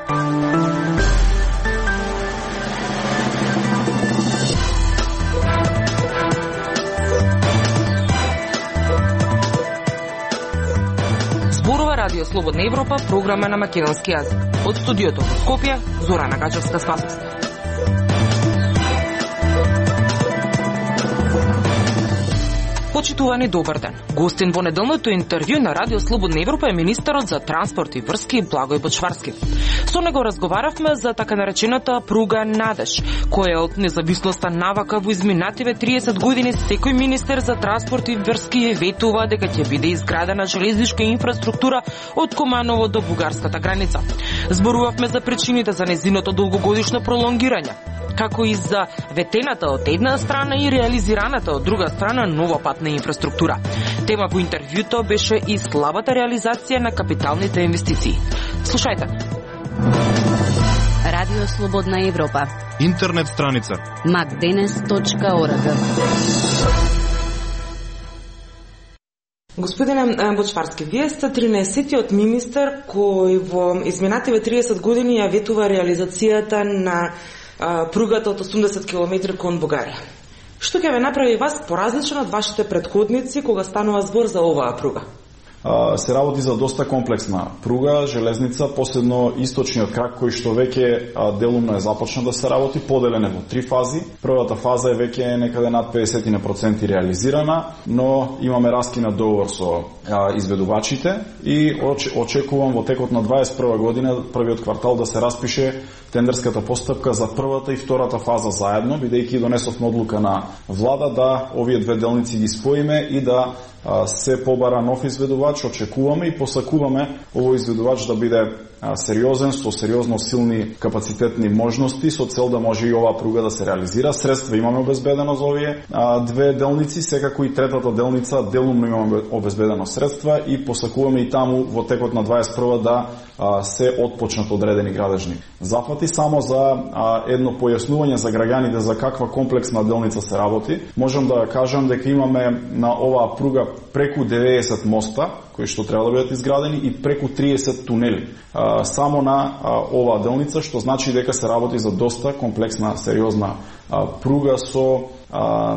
Радио Слободна Европа, програма на македонски јазик. Од студиото во Скопје, Зорана Гачевска-Спасовска. Почитувани, добар ден. Гостин во неделното интервју на Радио Слободна Европа е министерот за транспорт и врски Благој Бочварски. Со него разговаравме за така наречената пруга Надеж, која од независноста навака во изминативе 30 години секој министер за транспорт и врски ветува дека ќе биде изградена железничка инфраструктура од Куманово до бугарската граница. Зборувавме за причините за незиното долгогодишно пролонгирање, како и за ветената од една страна и реализираната од друга страна нова патна инфраструктура. Тема во интервјуто беше и слабата реализација на капиталните инвестиции. Слушајте. Радио Слободна Европа. Интернет страница macdenes.org. Господине Бочварски, вие сте 13-тиот министер кој во изминативе 30 години ја ветува реализацијата на пругата од 80 км кон Бугарија. Што ќе ве направи вас поразлично од вашите претходници кога станува збор за оваа пруга? Се работи за доста комплексна пруга, железница, последно источниот крак кој што веќе делумно е започна да се работи, поделен е во 3 фази. Првата фаза е веќе некаде над 50% реализирана, но имаме раскинат договор со изведувачите и очекувам во текот на 21 година, првиот квартал, да се распише тендерската постапка за првата и втората фаза заедно, бидејќи донесовме одлука на влада да овие две делници ги споиме и да се побара нов изведувач. Очекуваме и посакуваме овој изведувач да биде сериозен, со сериозно силни капацитетни можности, со цел да може и оваа пруга да се реализира. Средства имаме обезбедено за овие две делници, секако и третата делница делумно имаме обезбедено средства и посакуваме и таму во текот на 21 да се отпочнат одредени градежни зафати. Само за едно појаснување за граѓаните за каква комплексна делница се работи, можам да кажам дека имаме на оваа пруга преку 90 моста кои што треба да бидат изградени и преку 30 тунели само на оваа делница, што значи дека се работи за доста комплексна, сериозна пруга со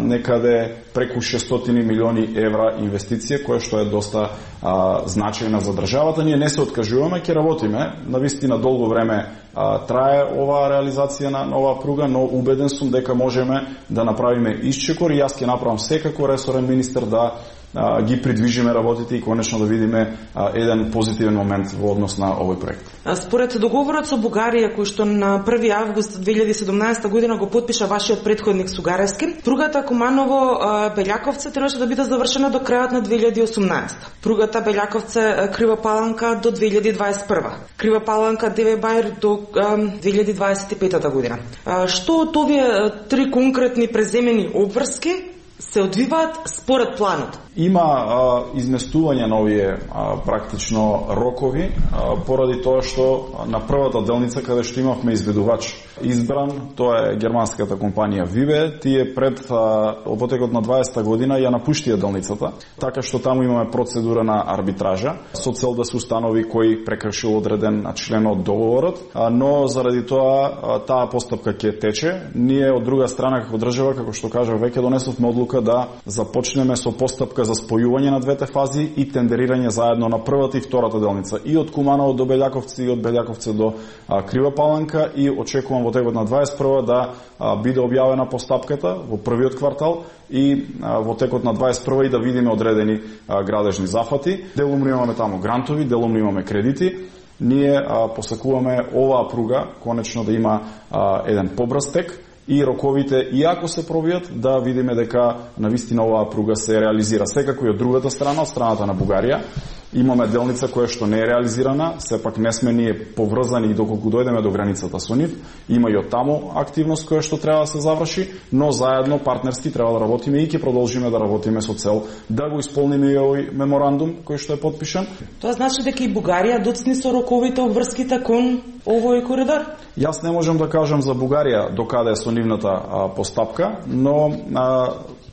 некаде преку 600 милиони евра инвестиција, која што е доста значајна за државата. Ние не се откажуваме, ќе работиме. Навистина долго време трае оваа реализација на оваа пруга, но убеден сум дека можеме да направиме исчекор и јас ќе направам секако ресорен министер да ги придвижиме работите и конечно да видиме еден позитивен момент во однос на овој проект. Според договорот со Бугарија, кој што на 1 август 2017 година го потпиша вашиот претходник Сугаревски, пругата Куманово-Белјаковце требаше да биде завршена до крајот на 2018. Пругата Белјаковце-Крива Паланка до 2021. Крива Паланка-Деве Бајр до 2025 година. Што од овие 3 конкретни преземени обврски се одвиваат според планот? Има изместување на овие практично рокови поради тоа што на првата делница каде што имавме изведувач избран, тоа е германската компанија Вибе, тие пред во текот на 20 година ја напуштија делницата, така што таму имаме процедура на арбитража со цел да се установи кој прекршил одреден член од договорот, но заради тоа таа постапка ќе тече. Ние од друга страна како држава, како што кажав, веќе донесовме одлука да започнеме со постапка за спојување на двете фази и тендерирање заедно на првата и втората делница и од Куманово до Белјаковци и од Белјаковци до Крива Паланка и очекувам во текот на 21 да биде објавена постапката во првиот квартал и во текот на 21 и да видиме одредени градежни зафати. Делумно имаме таму грантови, делумно имаме кредити. Ние посакуваме оваа пруга конечно да има еден побрз тек и роковите, иако се пробијат, да видиме дека навистина оваа пруга се реализира. Секако и од другата страна, од страната на Бугарија, имаме делница која што не е реализирана, сепак не сме ние поврзани и доколку дојдеме до границата со нив, има и од таму активност која што треба да се заврши, но заедно партнерски треба да работиме и ќе продолжиме да работиме со цел да го исполниме и овој меморандум кој што е потпишан. Тоа значи дека и Бугарија доцни со роковите обврските кон овој коридор? Јас не можам да кажам за Бугарија докаде е со нивната постапка, но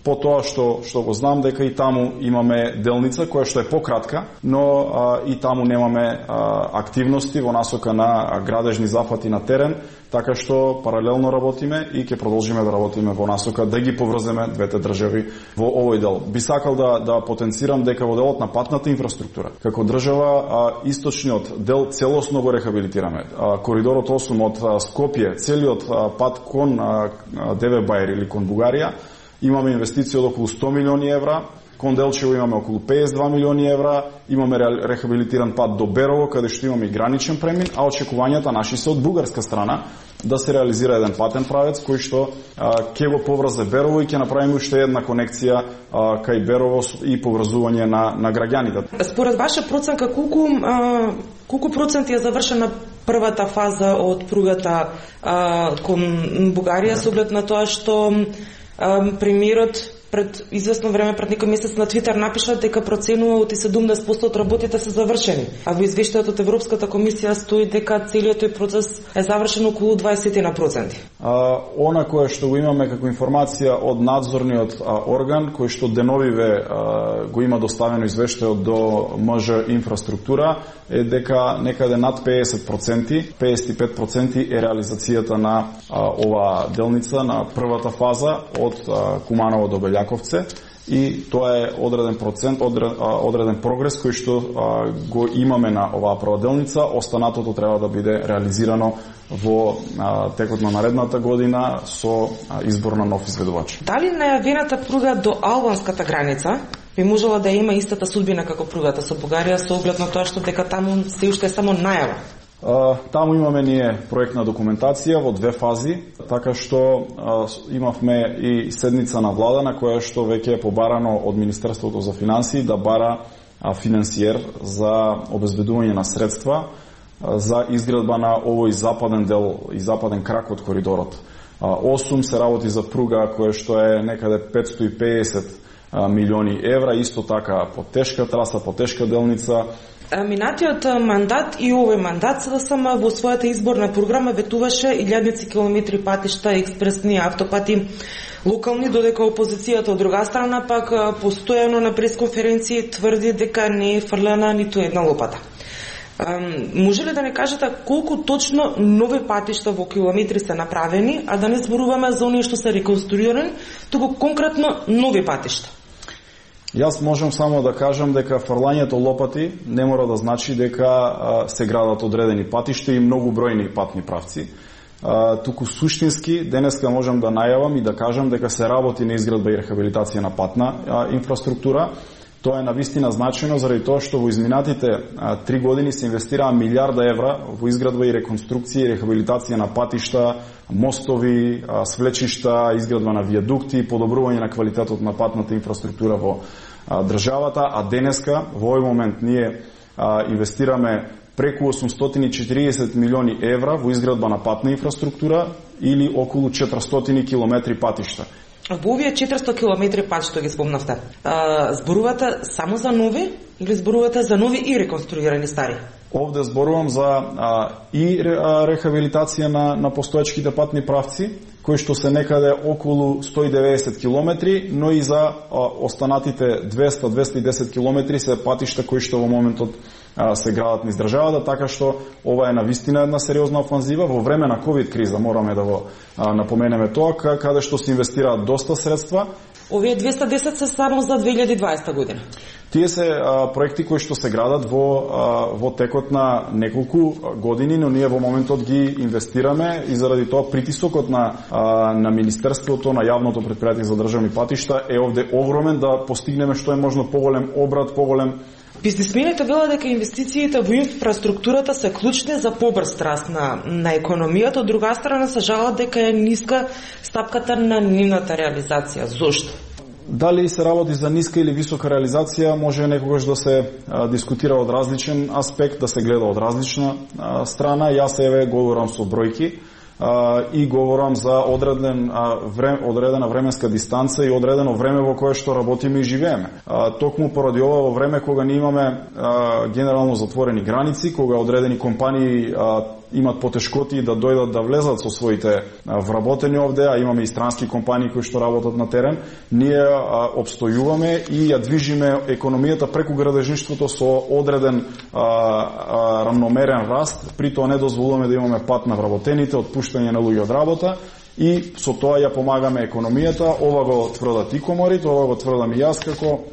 По тоа што го знам дека и таму имаме делница која што е пократка, но и таму немаме активности во насока на градежни зафати на терен, така што паралелно работиме и ќе продолжиме да работиме во насока да ги поврземе двете држави во овој дел. Би сакал да потенцирам дека во делот на патната инфраструктура, како држава, источниот дел целосно го рехабилитираме. Коридорот 8 од Скопје, целиот пат кон Девебајер или кон Бугарија, имаме инвестиција од околу 100 милиони евра, кон Делчево имаме околу 52 милиони евра, имаме рехабилитиран пат до Берово, каде што имаме и граничен премин, а очекувањата наши се од бугарска страна да се реализира еден патен правец кој што ќе го поврзе Берово и ќе направиме уште една конекција кај Берово и поврзување на граѓаните. Според ваша проценка, колку проценти е завршена првата фаза од пругата кон Бугарија, со оглед на тоа што премиерот пред известно време, пред некој месец на Твитер напиша дека проценува од 70% од работите се завршени, а во извештајот од Европската комисија стои дека целиот тој процес е завршен околу 20%. Она кое што го имаме како информација од надзорниот орган, кој што деновиве го има доставено извештајот до МЖ инфраструктура, е дека некаде над 50%, 55% е реализацијата на оваа делница, на првата фаза од Куманово до Белјаковце, и тоа е одреден процент, одреден прогрес кој што го имаме на оваа прва делница. Останатото треба да биде реализирано во текот на наредната година со избор на нов изведувач. Дали најавената пруга до албанската граница би можела да има истата судбина како пругата со Бугарија, со оглед на тоа што дека таму се уште е само најава? Таму имаме ние проектна документација во две фази, така што имавме и седница на влада на која што веќе е побарано од Министерството за финансии да бара финансиер за обезбедување на средства за изградба на овој западен дел и западен крак од коридорот. 8 се работи за пруга која што е некаде 550 милиони евра, исто така потешка траса, потешка делница. Минатиот мандат и овој мандат СДСМ во својата изборна програма ветуваше илјадници километри патишта, експресни автопати, локални, додека опозицијата од друга страна пак постојано на пресконференции тврди дека не е фрлена ниту една лопата. Може ли да не кажете колку точно нови патишта во километри се направени, а да не зборуваме за оние што се реконструирани, туку конкретно нови патишта? Јас можам само да кажам дека фрлањето лопати не мора да значи дека се градат одредени патишта и многу бројни патни правци. Туку суштински денеска можам да најавам и да кажам дека се работи на изградба и рехабилитација на патна инфраструктура. Тоа е навистина значено заради тоа што во изминатите 3 години се инвестираа милиарда евра во изградба и реконструкција и рехабилитација на патишта, мостови, свлечишта, изградба на вијадукти, подобрување на квалитетот на патната инфраструктура во државата, а денеска во овој момент ние инвестираме преку 840 милиони евра во изградба на патна инфраструктура или околу 400 километри патишта. Во овие 400 километри пат што ги спомнавте, зборувате само за нови или зборувате за нови и реконструирани стари? Овде зборувам за и рехабилитација на постоечките патни правци, кои што се некаде околу 190 километри, но и за останатите 200-210 километри се патишта кои што во моментот се градат низ државата, така што ова е навистина една сериозна офанзива во време на ковид криза, мораме да го напоменеме тоа, каде што се инвестираат доста средства. Овие 210 се само за 2020 година. Тие се проекти кои што се градат во текот на неколку години, но ние во моментот ги инвестираме и заради тоа притисокот на Министерството, на јавното претпријатие за државни патишта е овде огромен да постигнеме што е можно поголем обрат, поголем. Бизнисмените велат дека инвестициите во инфраструктурата се клучни за побрз раст на економијата, од друга страна се жалат дека е ниска стапката на нивната реализација. Зошто? Дали се работи за ниска или висока реализација, може некогаш да се дискутира од различен аспект, да се гледа од различна страна. Јас еве говорам со бројки. и говорам за одредена временска дистанца и одредено време во кое што работиме и живееме. Токму поради ова во време кога не имаме генерално затворени граници, кога одредени компании имат потешкоти да дојдат да влезат со своите вработени овде, а имаме и странски компании кои што работат на терен, ние обстојуваме и ја движиме економијата преку градежништвото со одреден рамномерен раст, при тоа не дозволуваме да имаме пат на вработените, отпуштање на луѓе од работа и со тоа ја помагаме економијата. Ова го тврдат и коморите, ова го тврдам и јас како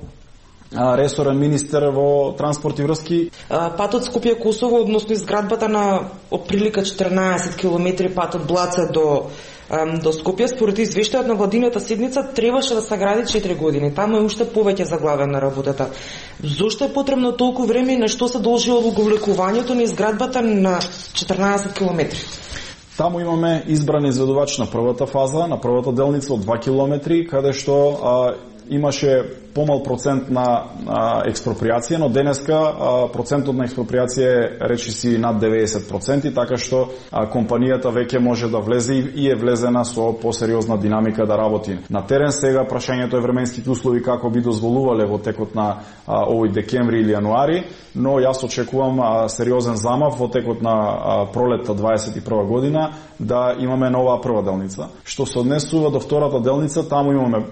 ресорен министер во транспорт и врски. Патот Скопје-Косово, односно изградбата на отприлика 14 километри пат од Блаца до Скопје, според извештајот на владината седница, требаше да се гради 4 години. Таму е уште повеќе заглавена работата. Зошто е потребно толку време и на што се должи одговлекувањето на изградбата на 14 километри? Таму имаме избран изведувач на првата фаза, на првата делница од 2 километри, каде што имаше помал процент на експроприација, но денеска процентот на експроприација е речиси над 90%, така што компанијата веќе може да влезе и е влезена со посериозна динамика да работи. На терен сега прашањето е временските услови како би дозволувале во текот на овој декември или јануари, но јас очекувам сериозен замав во текот на пролетта 21 година да имаме нова прва делница. Што се однесува до втората делница, таму имаме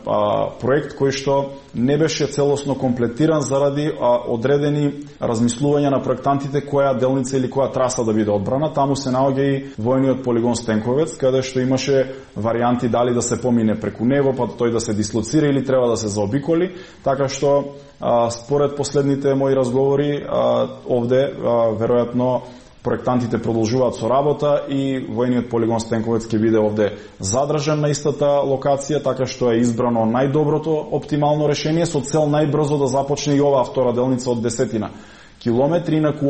проект кој што не беше целосно комплетиран заради одредени размислувања на проектантите која делница или која траса да биде одбрана. Таму се наоѓа и војниот полигон Стенковец, каде што имаше варијанти дали да се помине преку него, па тој да се дислоцира или треба да се заобиколи, така што според последните мои разговори овде веројатно проектантите продолжуваат со работа и војниот полигон Стенковец ќе биде овде задржан на истата локација, така што е избрано најдоброто оптимално решение со цел најбрзо да започне и оваа втора делница од 10 километри. Инаку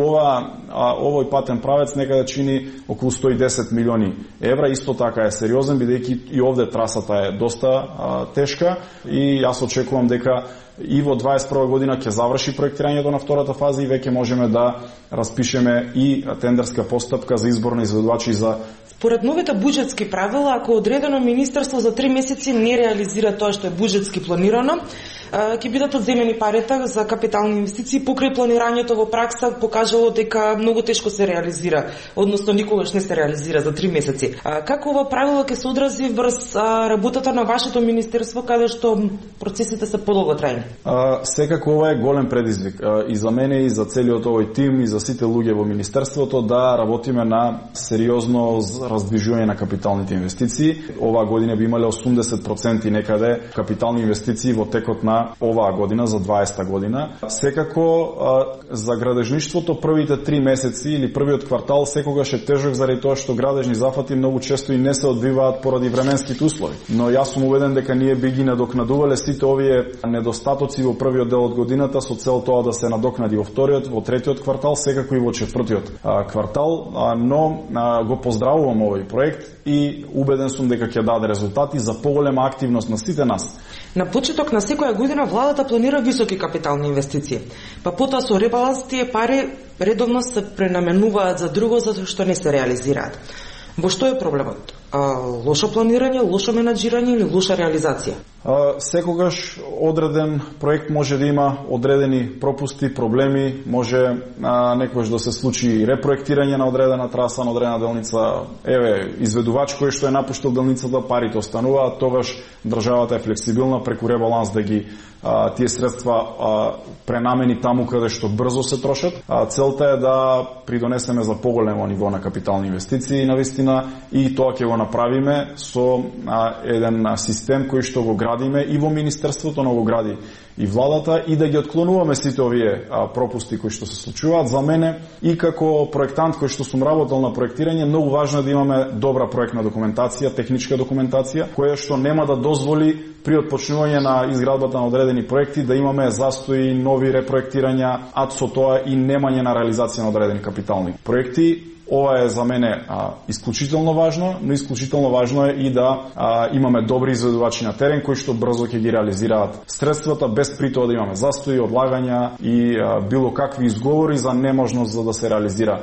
овој патен правец некаде чини околу 110 милиони евра, исто така е сериозен, бидејќи и овде трасата е доста тешка и јас очекувам дека и во 21 година ќе заврши проектирањето на втората фаза и веќе можеме да распишеме и тендерска постапка за избор на изведувачи за. Според новите буџетски правила, ако одредено министерство за 3 месеци не реализира тоа што е буџетски планирано, ќе бидат одземени парите за капитални инвестиции. Покрај планирањето во пракса покажало дека многу тешко се реализира, односно никогаш не се реализира за 3 месеци. Како ова правило ќе се одрази врз работата на вашето министерство, каде што процесите се подолготрајни? Секако ова е голем предизвик и за мене и за целиот овој тим и за сите луѓе во министерството да работиме на сериозно раздвижување на капиталните инвестиции. Оваа година би имале 80% некаде капитални инвестиции во текот на оваа година за 20-та година. Секако за градежништвото првите 3 месеци или првиот квартал секогаш е тежок заради тоа што градежни зафати многу често и не се одвиваат поради временските услови. Но јас сум убеден дека ние би ги надокнадувале сите овие недостатоци во првиот дел од годината со цел тоа да се надокнади во вториот, во третиот квартал, секако и во четвртиот квартал, но го поздравувам овој проект и убеден сум дека ќе даде резултати за поголема активност на сите нас. На почеток на секоја година владата планира високи капитални инвестиции. Па потоа со ребаланс тие пари редовно се пренаменуваат за друго затоа што не се реализираат. Во што е проблемот? Лошо планирање, лошо менаџирање или лоша реализација? Секогаш одреден проект може да има одредени пропусти, проблеми, може некогаш да се случи и репроектирање на одредена траса, на одредена делница. Изведувач кој што е напуштил делницата, парите остануваат, тогаш државата е флексибилна преку ребаланс да ги тие средства пренамени таму каде што брзо се трошат. Целта е да придонесеме за поголемо ниво на капитални инвестиции навистина и тоа ќе го направиме со еден систем кој што го градиме и во министерството, но го гради и владата, и да ги отклонуваме сите овие пропусти кои што се случуваат. За мене и како проектант кој што сум работел на проектирање, многу важно е да имаме добра проектна документација, техничка документација, која што нема да дозволи при отпочнување на изградбата на одредени проекти да имаме застои, нови репроектирања, а со тоа и немање на реализација на одредени капитални проекти. ова е за мене исклучително важно, но исклучително важно е и да имаме добри изведувачи на терен кои што брзо ќе ги реализираат средствата без при тоа да имаме застои, одлагања и било какви изговори за неможност за да се реализира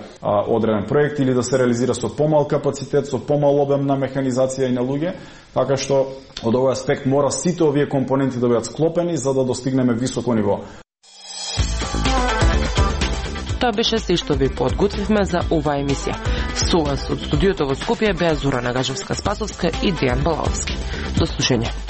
одреден проект или да се реализира со помал капацитет, со помал обем на механизација и на луѓе, така што од овој аспект мора сите овие компоненти да бидат склопени за да достигнеме високо ниво. Тоа беше се што ви подготвивме за оваа емисија. Со вас од студиото во Скопје беа Зора Нагажевска-Спасовска и Дејан Балаовски. До слушање.